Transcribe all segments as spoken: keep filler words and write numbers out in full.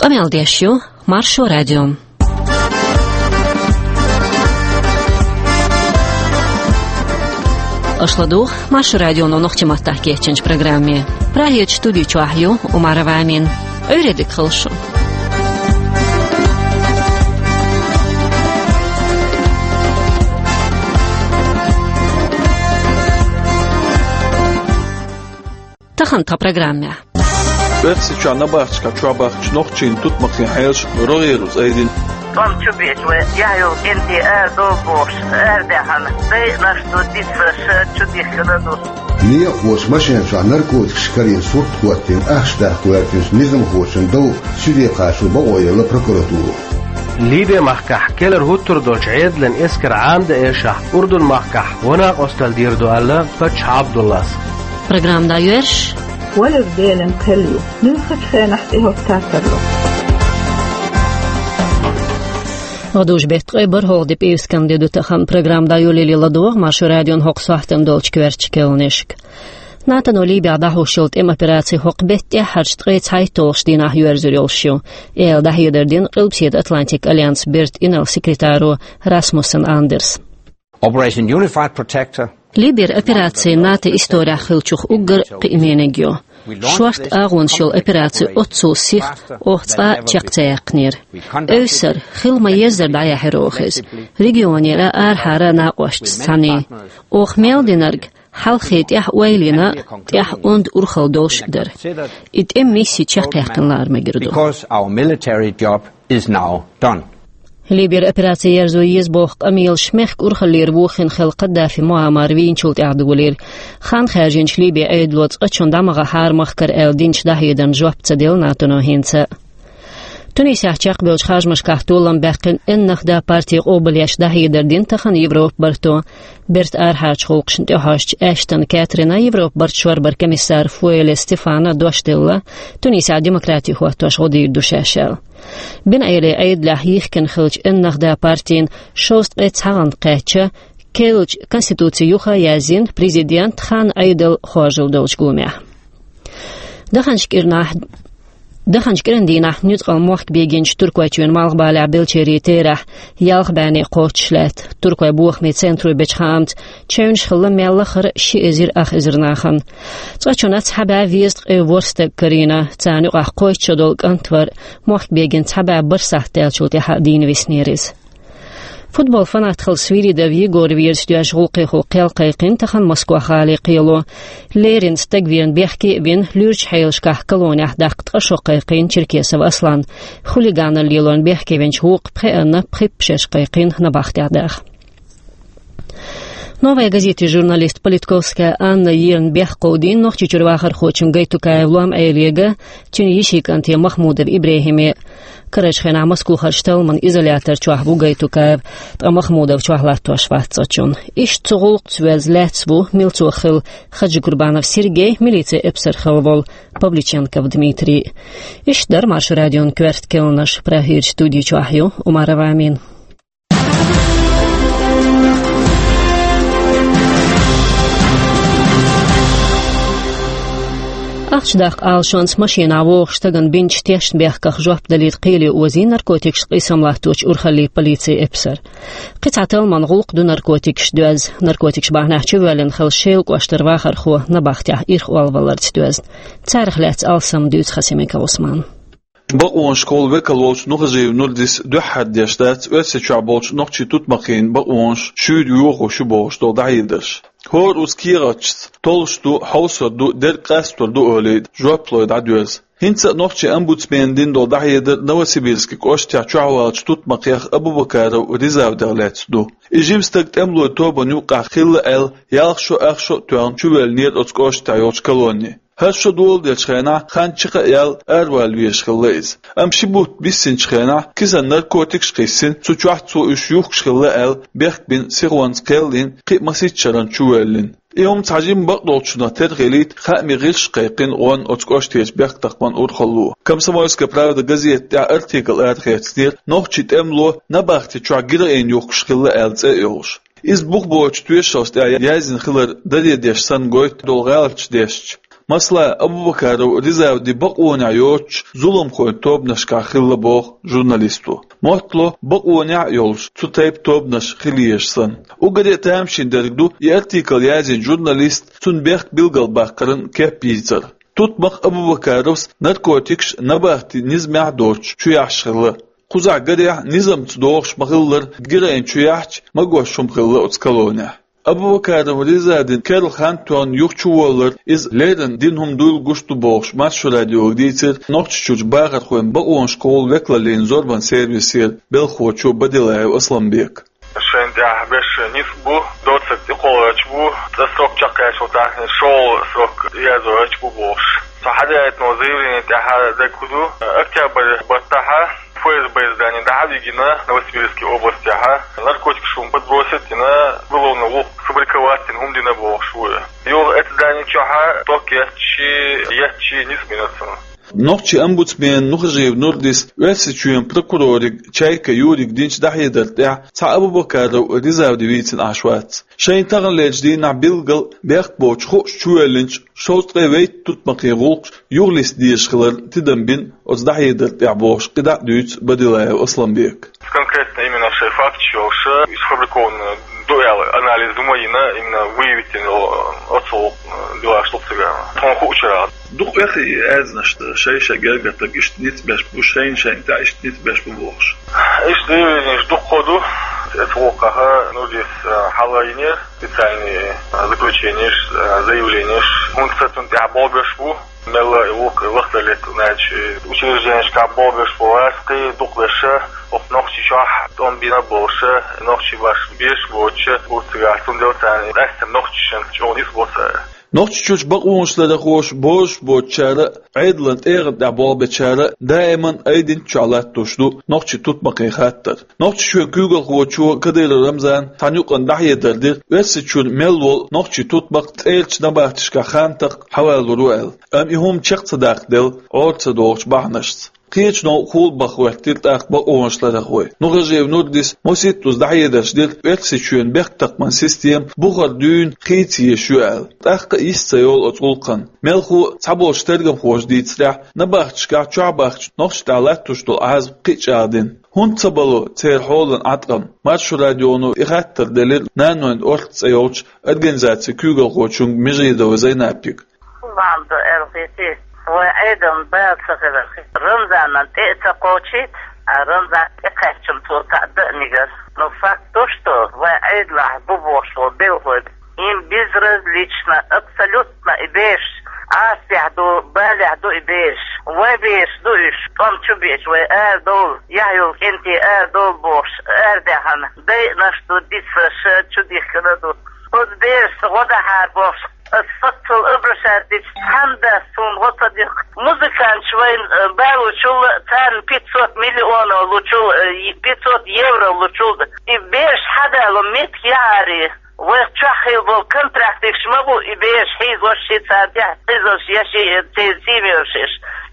Къамел деш ю Маршо радио. Аша ладугӀу Маршо радионо нохчийн маттахь кечйинчу программе. Прагерчу студи чохь ю Умарова Амина. Ӏуьйре дика хуьлда шун. Тахана тхан программехь. Оьрсийчохь набахташкахь чохь бахкачу нохчийн тутмакхийн хьелаш рогӀера уьш айдина. ТӀом чу бечу вай, яхь йолу кӀентий ара долу бохуш, арадаьхьана, дайъанаш ду, дицлаш, чу дихкина ду. Некъахоша машен чохь наркотикаш карийна сурт хӀоттийна ахча даккха гӀоьртинчу низамхочун дов суьде кхачо бакъо елла прокуратуро. Либи-махкахь кӀелхьара хӀуттур долчу Ӏедалан эскар Ӏамадан эшахь, Урдун-махкахь гӀо-накъосталла дийр ду аьлла паччахь Ӏабдуллас. Программа дӀайоьрзуш. Валар Делан кхел ю. Нуьцкъачу хенахь тӀехӀотта тарло. ГӀадужу беттан ткъе бархӀалгӀа де, пӀераскан де ду тахана. Программа дӀайолале ладогӀа Маршо радион хӀокху сохьтана долчу коьртачу кхаьънашка. НАТО-но Либехь дӀахьош йолу тӀеман операци хӀокху беттан тӀаьххьарчу ткъе цхьайтталгӀачу дийнахь йоьрзур йолуш ю. Эр даьхьа дар дина Къилбаседа Атлантикан альянсан бертан инарла-секретаро Расмуссен Андерса. Operation Unified Protector. Либера операци НАТО исторехь хиллачух уггар кхиамениг ю. Шорта агӀонаш йолу операци оццул сиха оха цкъа а чекх ца яьккхинера. Эвсара, хила ма-еззара дӀаяьхьира оха иза. Регионера, арахьара накъосташца цхьаьна. Оха мел динарг хьалхе тӀаьхьа ойла йина, тӀаьхьа онда урхалла долуш а дара. И тӀеман мисси чекхъяьккхина лара мегар ду. Because our military job is now done. Либера операци ерзо еза боху къамелаш мехкан урхаллера вохийна хилла Каддафи Муаммар вийначул тӀаьхьа долийра. Хан хаьржинчу Либин Ӏедало цкъачунна дӀа ма гӀахьара махкара аьлла динчу дӀахьедарна жоп ца делла НАТО-но хӀинца а. Тунисехь чекхбевллачу харжамашкахь толам баьккхина Эн-Нахда парти къобалъеш дӀахьедар дина тахана Европан барто. Бертан арахьарчу гӀуллакхашна тӀехьожучу Эштон Кэтрина Европан барта шорбаран комиссара Фуэле Стефана дош делла, Тунисехь демократи хӀоттош гӀо дийр ду шаьш аьлла. Бен Ӏелин Ӏедалехь йихкина хиллачу Эн-Нахда партина шовзткъе цхьа гӀант кхаьчча, керлачу конституци юха а яздина президент хан Ӏедал хоржалла долчу гуламехь. Даханчу кӀирнахь, даханчу кӀиран дийнахь нуьцкъала мохк бегинчу Туркойчоьнан малхбалехь беллачеран терахь ялх бӀе кхоччуш лаьтта. Туркойн бохамийн центро бечу хаамца, чевнаш хилла мел лахара ши эзар ах эзар нахана. Цкъачунна цхьа бӀе везткъе ворхӀ стаг карийна, царна юкъахь кхойтта шо долу кӀант вара, мохк бегина цхьа бӀе бархӀ сахьт даьллачул тӀаьхьа дийна виснера иза. Футбол фанат хилла Свиридов Егор верца доьжна гӀуллакхехула кхел кхайкхийна тахана Москва-гӀалин кхело. Леррина стаг верна бехке а вина, луьрачу хьелашкахь колонехь даккха ткъа шо кхайкхийна Черкесов Аслан. Хулиганалла лелорна бехке винчу вукху пхеанна пхи-пхи шераш кхайкхийна набахтехь даха. «Новая газетин» журналист Политковская Анна ерна бехк кховдийна Нохчийчуьра вахархочун Гайтукаев Лом-Ӏелега, цуьнан йишин кӀанте Махмудов ИбрахӀиме. Карарчу хенахь Москвахарчу талламан изолятор чохь ву Гайтукаев, ткъа Махмудов чохь латтош вац цкъачунна. Иштта цу гӀуллакхца воьзна лаьцна ву милцо хилла Хаджикурбанов Сергей, милицин эпсар хилла волу Павличенков Дмитрий. Иштта дара Маршо радион коьрта кхаьънаш. Прагерчу студи чохь ю Умарова Амина. Ахча даккха Ӏалашонца машенахь вогӀучу стагана бинчу тешнабехках жоп далийта кхеле озийна наркотикашна къийсам латточу урхаллин полицин эпсар. Кхин цхьа талламан гӀуллакх ду наркотикашца доьзна. Наркотикаш бахьанехь чувоьллина хилла Шелан кӀоштара вахархо набахтехь ирхъолваларца доьзна. Царах лаьцна алсам дуьйцу Хасимиков Усмана. Бакъонашкахула векал волчу Нухажиев Нурдис дуьххьара деш дац Оьрсийчохь болчу нохчийн тутмакхийн бакъонаш шуьйра йохош ю бохуш долу дӀахьедарш. ХӀора уза кехаташца, толлуш ду, хьовсур ду, дерг къастор ду олий, жоп лой дӀадоьрзу. ХӀинца а нохчийн омбудсмена дина долу дӀахьедар Новосибирски кӀоштехь чохь валлачу тутмакхех Абубакаров Ризавдех лаьцна ду. И жима стаг тӀемалойн тобанна юккъехь хилла аьлла, ялх шо, ах шо а тоьхна чувоьллинера оцу кӀоштехь йолчу колонне. ХӀара шо доладеллачу хенахь хан чекх а яьлла, аравала везаш хилла иза. Амма ши бутт биссинчу хенахь кисана наркотикаш а кхиссина, цу чохь цо уьш юхкуш хилла аьлла, бехк бина, сихонца кхел а йина, кхин а масийтта шарна чувоьллина. И хӀума цхьа жимма бакъдолчунах тера хилийта, хаамийн гӀирсаша кхайкхина гӀонна оцу кӀоштарчу бехктакхаман урхалло. «Комсомольская правда» газетан тӀехь артикл арахецнера, нохчийн тӀемало набахти чохь героин юхкуш хилла аьлла цӀе а йолуш. Иза бух боцучу тоьшаллаш тӀехь яздина хилар даре деш санна гойту долу гӀалаташ дешча. Масала, Абубакаров Ризавди бакъонехьа йоцуш зуламхойн тобанашкахь хилла боху журналисто. Моттало, бакъонехьа а йолуш, цу тайпа тобанаш хила езаш санна. Уггаре а тамашийна дерг ду и артикл язйина журналист цунна бехк билгалбаккхаран кеп йийцар. Тутмакх Абубакаровс наркотикаш набахти низамехь а доцуш чу яхьаш хилла. Кхузахь гарехь, низамца догӀуш ма-хиллара, героин чу яхьча, магош хӀума хилла оцу колонехь. Абубакаров Ризавдин керла хан тоьхна юха чуволлар иза леррина дина хӀума дуйла гуш ду бохуш, Маршо радиога дийцира Нохчийчуьрчу бахархойн бакъонаш кхолла векалаллин зорбан сервисера белхахочо Бадилаев Асланбека. Шайна тӀехь беш нисбу, доцург тӀекхолларч бу, цкъа срок чекхъяьлча, тахана шолгӀа срок язъяьлча бу бохуш. Цу хьадаийтинчу заявлени тӀехь дерг хӀун ду? Октябрь баттахь ФСБ здани дӀа а вигина Новосибирский областехь, наркотикаш хӀума подбросить дина, уголовный гӀуллакх сфабриковать дина хӀума дина бохуш ву. Юха оцу здани чохь ток етташ, етташ нисбина цунна. Нохчийн омбудсмена Нухажиев Нурдис Оьрсийчоьнан прокурорига Чайка Юрига динчу дӀахьедар тӀехь цхьа Абубакаров Ризавди вийцина Ӏаш вац. Шайна таханлерчу дийнахь билггал бехк боцуш хууш чувоьллинчу шовзткъе вейтта тутмакхийн гӀуллакхаш юхалиста дезаш хилар тидам бина оцу дӀахьедар тӀехь бохуш, кхидӀа а дуьйцу Бадилаев Асланбека. Конкретно именно шайн факташ йолуш, сфабрикованный ду аьлла анализ ма йина, именно выявить йина оцу делаш ду цигара. Тхуна хуучара. Дукха вехий аьзнаш ду, шай-шай гергара стаг иштта ницкъ беш бу, шайна-шайна тӀехь иштта ницкъ беш бу бохуш. Иштта заявленеш дуккха ду, эцу воккхаха Нурдис, а, хьала йинера специальный, а, заключенеш, а, заявленеш, хӀунда ца цунна тӀехь болх беш бу, мелла а вукху лахтар летта, значит, учрежденешкахь болх беш бу гӀазкхий, дукха беша, оха Нохчийчохь тӀом бина болуша, нохчий баш беш боцуша, бу цигара, цундела царна къаьсттина нохчашна чӀогӀа нисбо цара. Нохчийчуьрчу бакъонашларъярхоша бозуш боцучара а, Ӏедалан тӀегӀан тӀехь болх бечара а даиман айдинчохь латтош ду нохчийн тутмакхийн хаттар. Нохчийчоьнан куьйгалхочо Кадыров Рамзана цхьана юкъана дӀахьедар дира, Оьрсийчуьра мел волу нохчийн тутмакх цӀерачу набахтешкахь хантах хьавалур ву аьлла. Амма и хӀума чекх ца даккхаделла, Ӏора ца догӀучу бахьанашца. Кхечу новкъа хулабаха хӀоьттира тӀаккха бакъонашларъярхой. Нухажиев Нурдис масийттаза дӀахьедарш дира, Оьрсийчоьнан бехктакхаман система бухара дуьйна хийца езаш ю аьлла. ТӀаккха а йист ца йолу оцу гӀуллакхан. Мелхо а, цхьаболчу тергамхоша дийцарехь, набахташкахь чохь бахча нохчашна тӀехь латтош долу Ӏазап кхин а чӀагӀдина. ХӀунда ца бало церан хьолан Ӏаткъам? Маршо радионо и хаттар делира «Нанойн орц» цӀе йолчу организацин куьйгалхочуьнга Межидова Зайнапига. Бахьана ду аьлла хетий, вайн Ӏедална бала ца хилар. Рамзанан тӀе а ца кхочийта, а Рамзан тӀекхаьчча цо цхьаъ дан а мегар. Но факт то, что вайн Ӏедалахь бу бохуш болу белхалой, им безразлично, абсолютно и бераш, Ӏазапехь ду, балехь ду и бераш. Вайн бераш ду уьш, тӀом чу беача вай арадовла, яхь йолу кӀентий арадовла бохуш, арадаьхна, дайъанаш ду дицлуш, чудихкина ду. Оцу берашца гӀо дахьара бохуш, ас соццул обращаться дича, цхьана дас суна гӀо ца дихка. Музыканташ вайна, э, балочул, царна пятьсот миллионов лучул, э, пятьсот евро лучул. И бераш хьадало меттиг яхьарий, вайх чохь хилла болу контрактикаш ма бу, и бераш хьийзош, ши царна тӀехь хьийзош, я ши, э, церан семьяш.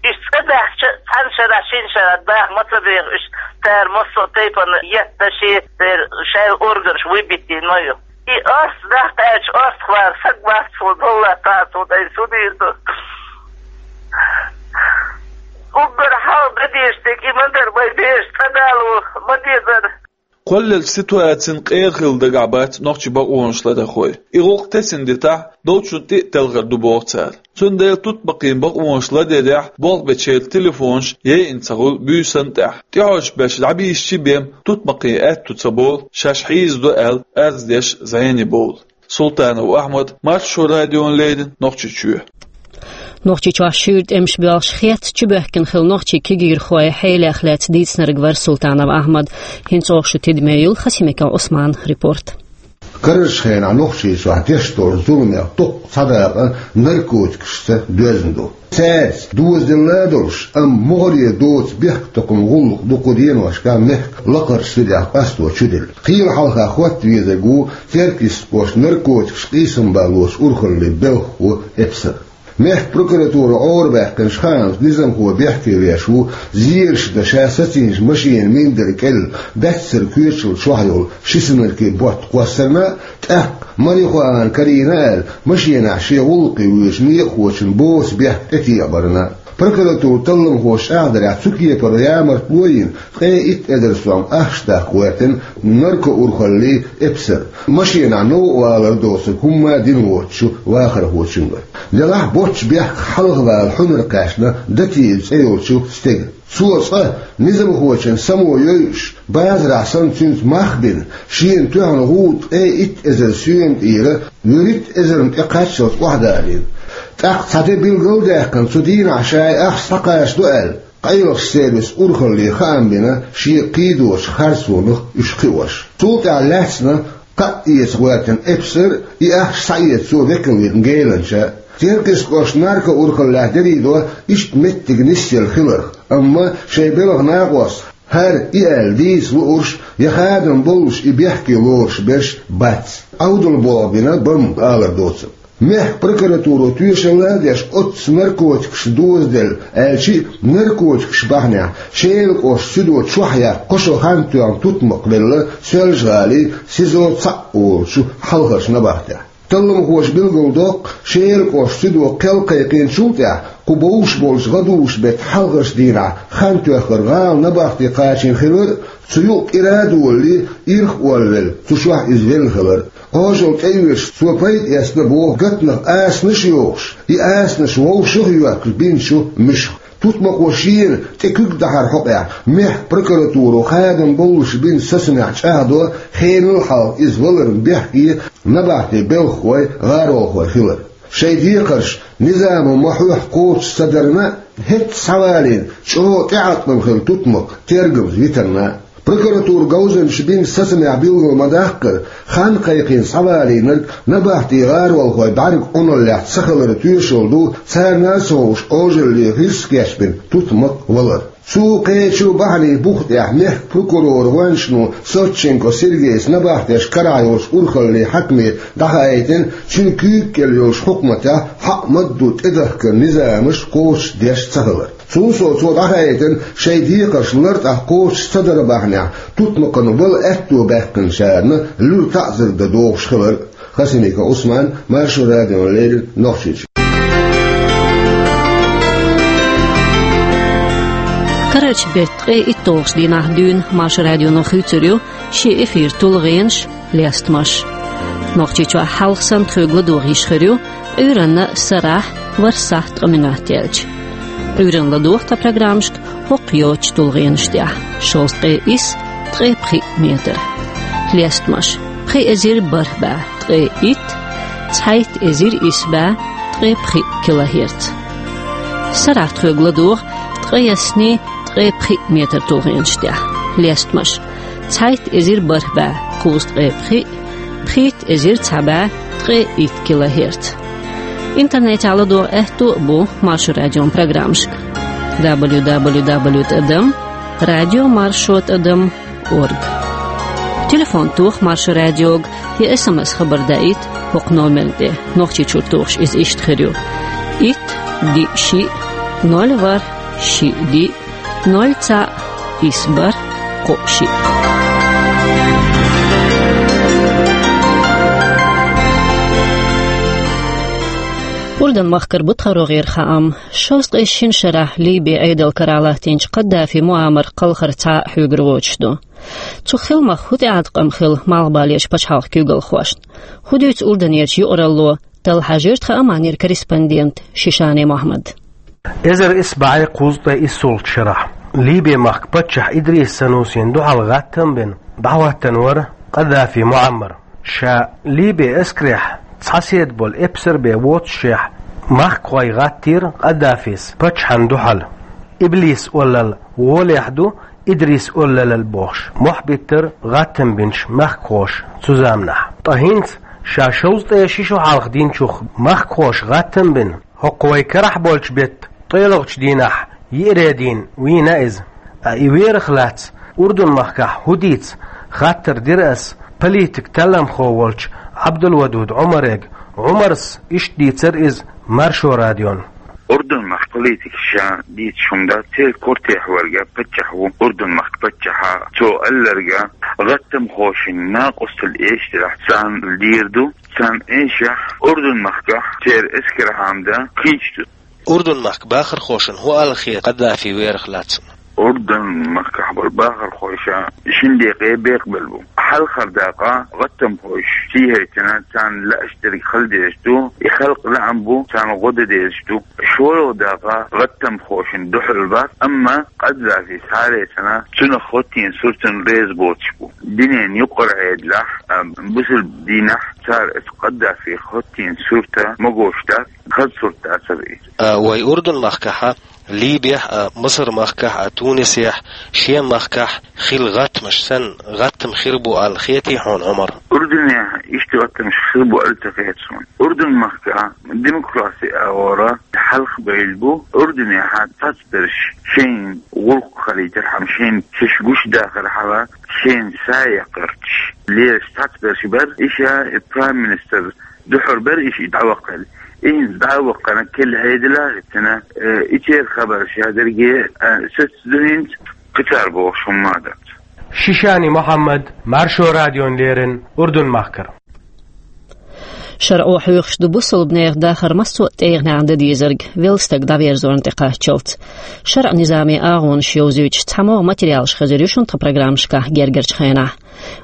Уьш цӀа даьхча, цхьана шарахь, шина шарахь даха ма ца деху уьш, цара массо а тайпана етташ, церан шайн органаш выбитина ма ю. И орц дахка аьлча, орцахвар саг вац, цо долла тӀе а цо дай су дийр ду. Уггар хьалха дан дезаш дерг и ма дара, вай бераш цӀа дало ма дезара. Кхоллалчу ситуацина къера хила дагахь бац нохчийн бакъонашларъярхой. И гӀуллакх тесна дитахь, долчунна тӀе а телхар ду боху цара. Цундела тутмакхийн бакъонаш ларъярехь болх бечеран телефонаш яйина ца хуьлу буьйсанна тӀехь. ТӀехьожуш берш дӀабийшича бен тутмакхийн аьтту ца болу, шаьш хьийзадо аьлла, арз деш зӀене бовлу. Султанов Ахьмад, Маршо радиона леррина, Нохчийчоь. Нохчийчохь шуьйра тӀемаш боьлхуш, хецна чубоьхкина хилла нохчийн кегийрхой хьелех лаьцна дийцинарг вара Султанов Ахьмад. ХӀинца оха шу тидаме йолу Хасимиков Ӏусманан репорт. Карарчу хенахь Нохчийчохь деш долчу зуламех дуккха цхьа дакъа наркотикашца доьзна ду. Цаьрца дозаделла а долуш, амма могӀаре доцу бехктакхаман гӀуллакх дукха деношкахь мехкан лакхарчу динехь къасто чуделла. Кхеле хьалха хӀотта везарг ву церковисташа наркотикаш къийсам балочу урхаллин белхахо Эпсар. Мехкан прокуратуро Ӏорабаьккхинчу хаамца, низамхо бехке веш ву зераш дан ша сацийначу машенан миндар кӀел баьццара коьчалла чохь йолу ши синаркий ботт кхоссарна а, тӀаккха марихуана карийна аьлла, машенахь шен гӀуллакхе воьдучу некъахочун боцу бехк тӀетекъабарна а. Прокуратуран талламхоша чӀагӀдарехь, цу кепара ямартло а йина, ткъе итт эзар сом ахча даккха гӀоьртина наркоурхаллин эпсар, машенахь новкъа валар доцург хӀумма а дина воцучу вахархочуьнга. Делахь а боцчу бехках хьалхавала хьуьнар кхаьчна Датиев цӀе йолчу стеган. Цо цкъа, низамхочун само йойуш, базарахь санна цуьнца мах а бина, шена тоьхна гӀуда ткъе итт эзар соьман тӀера вуьрхӀитта эзарна тӀе кхаччалц охьадалийна. ТӀаккха цхьа де билгал а даьккхина, цу дийнахь ша и ахча схьакхачадо аьлла, къайлахчу сервисан урхалле хаам бина шен кхийдочу харцонах уьш кхиош. Цул тӀаьхьа лаьцна кхаа эца гӀоьртина эпсар, и ахча схьаэца цо векал вина геланча. Теркйистхошна наркоурхаллехь дерриг до иштта меттиг нисъелла хиларх, амма шайн белхан накъост хӀара и аьлла дийца луурш я хадам боллуш и бехке лоруш берш бац. Ӏовдал болх бина бан алар доцург. Мехкан прокуратуро тоьшалла а деш, оццу наркотикашна дозаделла аьлча а, наркотикаш бахьанехь Шелан кӀоштан суьдо чохь яккха кхо шо хан тоьхна тутмакх велла Соьлжа-ГӀалин СИЗО цхьаъ олучу хьалхарчу набахтехь. Талламхоша билгалдоккху, Шелан кӀоштан суьдо кхел кхайкхийначул тӀаьхьа, кху бовш болчу гӀадужу-беттан хьалхарчу дийнахь хан тоьхнарг гӀала набахте кхачийна хилар а, цу юкъа кӀира а долале, ирх а олвелла, цу чохь иза велла хилар а. Кхажалла тӀеоьцуш, цо пайда эцна боху гатанах асанаш а йохуш, и асанаш вовшах а йоьхкуш бинчу муьшах. Тутмакхо шена тӀе куьг дахьар хьокъехь, мехкан прокуратуро хадам боллуш бинчу сацамехь чӀагӀдо, хенал хьалха иза валарна бехке набахтин белхахой, гӀаролхой хилар. Шайн декхарш низамо ма-хьоьхху кхочуш ца дарна а, хӀетта схьавалийна, чӀогӀа тӀеӀаткъам хилла тутмакх тергамза витарна а. Прокуратуран говзанчаша бинчу сацамехь билгал ма-даккхара, хан кхайкхийна схьавалийнарг набахтин гӀаролхой бӀаьрган Ӏуналлехь ца хиларан тоьшалла ду, царна а ца хууш Ӏожалле гӀирс кечбина тутмакх валар. Цу кхечу бахьанийн бух тӀехь мехкан прокуроран гӀоьнчано Савченко Сергейс набахтешна карахь йолчу урхаллин хьаькаме дӀахаийтина, цуьнан куьйга кӀел йолчу хьукматехь хьаъ ма-дду тӀедахкар низамаш кхочушдеш ца хилар. Цул сов, цо дӀахаийтина шайн декхарш лартӀехь кхочуш ца даран бахьанехь тутмакхана вала аьтто баьккхинчарна луьра таӀзар дан догӀуш хилар. Хасимиков Ӏусман, Маршо радиона леррина, Нохчийчоь. Карарчу беттан ткъе итталгӀачу дийнахь дуьйна Маршо радионо хуьйцур ю шен эфиран тулгӀенаш, лестамаш. Нохчийчохь хьалха санна тхоьга ладогӀа йиш хир ю Ӏуьйранна сарахь ворхӀ сахьт ткъа минот яьлча. Ӏуьйранна ладогӀа тхан программашка хӀокху йоцчу тулгӀенаш тӀехь: шовзткъе исс, ткъе пхиъ метр. Лестамаш: пхи эзар бархӀ бӀе ткъе итт, цхьайтта эзар исс бӀе ткъе пхиъ килогерц. Сарахь тхоьга ладогӀа ткъе исс, ткъе пхиъ метр тулгӀенаш тӀехь. Лестамаш: цхьайтта эзар бархӀ бӀе кхузткъе пхиъ, пхийтта эзар цхьа бӀе ткъе итт килогерц. Интернетехь ладогӀа аьтто а бу Маршо радион программашка: дабл ю дабл ю дабл ю тӀадам радио маршо тӀадам орг. Телефон тоха Маршо радиога я эс эм эс хабар даийта хӀокху номерна тӀе. Нохчийчуьра тухуш иза иштта хир ю: итт, диъ, шиъ, ноль, ворхӀ, шиъ, диъ, ноль, цхьаъ, исс, бархӀ, кхоъ, шиъ. Урдун-махкара бу тхан рогӀера хаам. Шовзткъе шина шарахь Либин Ӏедал карахь латтийначу Каддафи Муаммар кхалхар цхьа а хьоьгур воцуш ду. Цу хиламах хӀун тӀеӀаткъам хилла Малхбалерчу пачхьалкхан куьйгалхошна? ХӀун дуьйцу Урданерчу юкъаралло? Талла хьажийра тхан Ӏаманера корреспондент Шишани Мохьмад. Эзар исс бӀе кхузткъе иссалгӀачу шарахь Либин махка паччахь Идрис Санусина дуьхьал гӀаттам а бина, дӀахӀоьттина вара Каддафи Муаммар. Ша Либин эскарехь цхьа седа болу эпсар бен воццушехь, махкахой гӀаттийра Каддафис паччахьна дуьхьал. Иблис оллал гӀолехь ду, Идрис оллалал бохуш, мохь биттара гӀаттам бинчу махкахоша цу заманахь. Ткъа хӀинца, ша шовзткъе ши шо хьалха динчух, махкахоша гӀаттам а бина, хӀокху вай карахь болчу беттан ткъолгӀачу дийнахь, йиъре дийна вийна иза. Ткъа и верах лаьцна Урдун-махкахь хӀун дийца, хаттар дира ас политик-талламхо волчу Ӏабдулвадуд Ӏумарега. Ӏумарс иштта дийцира иза Маршо радион. Урдун-махка политикаша дийцаш хӀума дац, церан кортехь верг паччахь ву Урдун-махка паччахьа. Цо аьлларг, гӀаттамхошна накъосталла эшаш делахь, царна дийр ду, царна эшахь Урдун-махкахь церан эскар хьамда кхийча ду. Урдун-махка бахархошна хӀун аьлла хета Къаддафи верах лаьцна? Урдун-махкахь болу бахархоша шина декъе бекъабелла бу. Хьалхара дакъа гӀаттамхоша сий хьайцина, царна лаьаш дерг хила дезаш ду, и халкъан лаам бу, царна гӀо дан дезаш ду. ШолгӀа дакъа гӀаттамхошна дуьхьал бац, амма Къаддафи схьалаьцна, цунах хӀоттийна суртана реза боцуш бу. Дуьненан юкъара Ӏедалехь, а, бусалба динехь цара оцу Къаддафих хӀоттийна сурт магош дац, хаза сурт дацара иза. А, вай Урдун-махкахь а, Либехь а, Масар-махкахь а, Тунисехь, шен махкахь хилла гӀаттамаш санна, гӀаттам хир бу аьлла хетий хьуна, Ӏумар? Урдунехь иштта гӀаттамаш хир бу аьлла ца хета суна. Урдун-махка демократи агӀора хьалхабевлла бу. Урдунехь цхьацберш шайна гӀуллакх хилийтархьама, шайна шаьш гуш дахархьама, шайна са яккхарчаш лелаш цхьацберш бара, иштта прайм-министр дуьхьал бара иштта дӀаваккхалла. ХӀинца дӀа а ваккхана, кхин Ӏедал а хӀиттина, э, и церан хабарш дерриге, э, саца ду хӀинца, кхин цара бохуш хӀумма а дац. Шишани Мухьаммад, Маршо радиона леррина, Урдун-махкара. ШарӀо хьоьхуш ду бусалба нехан дахар массо а тӀегӀанехь дан дезарг, велла стаг дӀаверзорна тӀекхаччалц. ШарӀан низаме агӀонаш йовзуьйтуш цхьа могӀа материалаш хезар ю шуна тхан программашкахь гергарчу хенахь.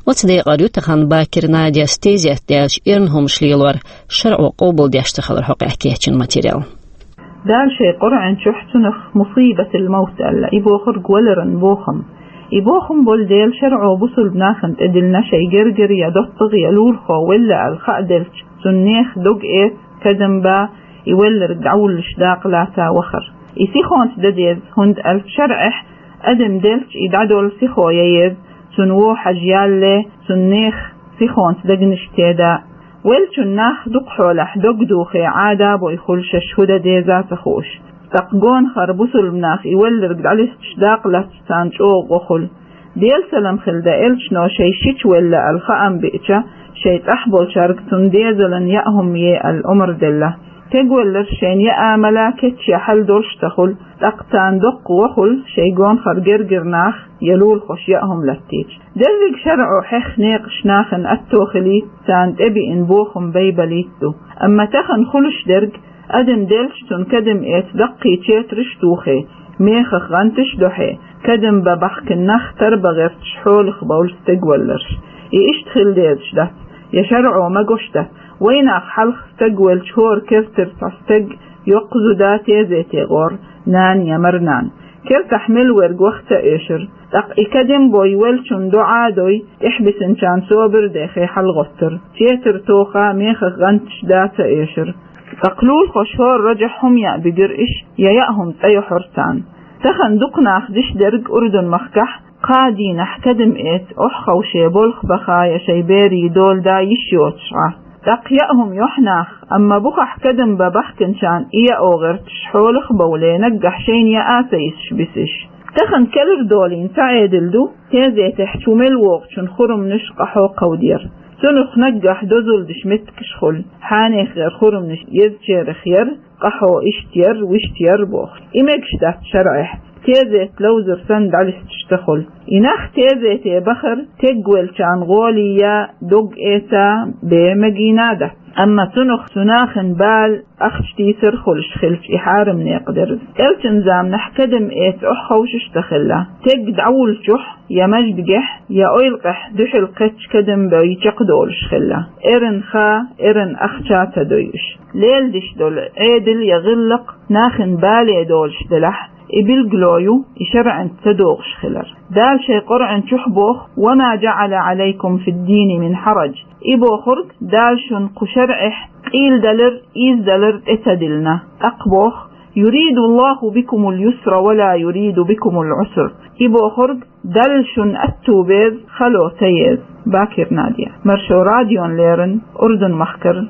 Оцу декъара ю тахана Бакир Надяс тезет даьлча эрна хӀумаш лелор, шарӀо къобалдеш ца хилар хьокъехь кечйина материал. Дала шайн Къуръан чохь цунах мусибатул-мавт аьлла, и бохург валаран бохам. И бохам болу дела шарӀо бусалба нахана тӀедиллина, шайн гергара я доттагӀа я лулахо велла аьлла хаа делча, цунна нехан дог эца, кадам бан, и велларг дӀавуллуш дакъа лаца вахар. И сихонца дан деза, хӀунда аьлча шарӀехь адам делча и дӀадолу сихо ян еза, цунна вон хьажа ялале, цунна нехан сихонца дегнаш теда. Веллачун нах дукха хьолахь дог духе Ӏада а бой хуьлу шаьш хӀун дан деза а ца хууш. ТӀаккха гонахара бусалба нах и велларг дӀалисташ дакъа лаьцча царна чӀогӀа гӀо хуьлу. Делан салам хилла элчано шайн шича велла аьлла хаам биъча, шайн цӀахь болчаьрга цунна дезалан яа хӀума е аьлла омра делла. Стегвелларш шайна яа мала кечъян хьал долуш ца хуьлу, тӀаккха царна доккха гӀо хуьлу шайн гонахара гергара нах я лулахоша яа хӀума латтийча. Дерриг шарӀо хьехна некъаш нахана атто хилийта, царна тӀебиъна бохам байбалийта ду. Амма тахана хуьлуш дерг, адам делча цунна кадам эца даккхий четарш а тухе, мехах гӀанташ а дохье, кадам бан бахкина нах тарбан гӀерташ хьолах бовлу стегвалларш. И иштта хила дезаш дац, я шарӀо магош дац. Вайнах хьалха стаг велча хӀора кертара цхьа стаг йоккха зуда тезете гӀора, нана я марнана. Кертахь мел верг ваха ца оьшура. ТӀаккха и кадам бой веллачунна доӀа а дой, тӀехь бисинчарна собар а дехе хьалагӀоттура. Четар тоха, мехах гӀанташ дан а ца оьшура. ТӀаккха лулахоша хӀора рожехь хӀума яа буьгура иш, я яа хӀума цӀа йохьура царна. Тахана дукха нах деш дерг Урдун-махкахь, кхаа дийнахь кадам эца охьаховше болх баха я шайн берийн дола дан йиш йоцуш Ӏа. ТӀаккха яа хӀума йохьу наха, амма бухахь кадам бан бахкинчарна и яо гӀерташ хьолах а бовле, наггахь шайна яа а ца йисуш бисиш. Тахана кӀелхьардолийна цхьа Ӏедал ду, тезетехь чу мел вогӀучун хурманаш къахьо кховдаяр. Цунах наггахь дозалла деш меттигаш хуьлу, хьенех гӀеран хурманаш езачарах яр, къахьо иштта яр, вуьшта яр бохуш. И мегаш дац шарӀехь, тезет ловзар санна дӀалисташ ца хуьлу. И нах тезете бахар тегвеллачарна гӀоле ян, дог эца бен мегийна а дац. Амма цунах цу нахана бала, ахча тийсар хуьлуш хилча, и хьарам некъ дара. Элчан заманахь кадам эца охьаховшаш а ца хилла. Стаг дӀавуллучохь, я маьждигехь, я ойлакъехь дуьхьал кхетча кадам бой чекхдолуш хилла. Эрна ха, эрна ахча а ца дой уьш. Леладеш долу Ӏедал я гӀиллакх нахана бале долуш делахь, и билгало ю и шарӀанца ца догӀуш хилар. Дала шайн Къуръан чохь боху: «Ва ма жаӀала Ӏалайкум фид-дини мин хьараж». И бохург, Дала шуна кху шарӀехь къийладалар, ийзадалар тӀе ца диллина. ТӀаккха боху: «Юриду Аллаху бикумул юсра ва ла юриду бикумул Ӏусра». И бохург, Далла шуна аьтту беза, хало ца еза. Бакир Надя. Маршо радиона леррина, Урдун-махкара.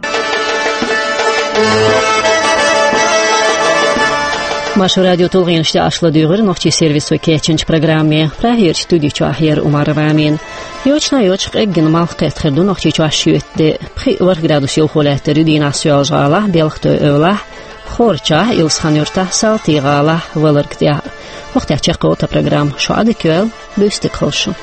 Маршо радион тулгӀенаш тӀехь аш ладуьйгӀира нохчийн сервисо кечйинчу программе. Прагерчу студи чохь яра Умарова Амина. Йочана йоцуш къеггина малх кхетта хир ду Нохчийчохь шоьтан де. Пхиъ-ворхӀ градус йовхо лаьттар ю дийнахь Соьлжа-ГӀалахь, Белхатой-Эвлахь, Хорачахь, Илсхан-Юртахь, Салтий-ГӀалахь, Валарг тӀехь. Вахтехь чекхйолу тхан программа. Шу Ӏадика йойла, буьйса дика хуьлда шун.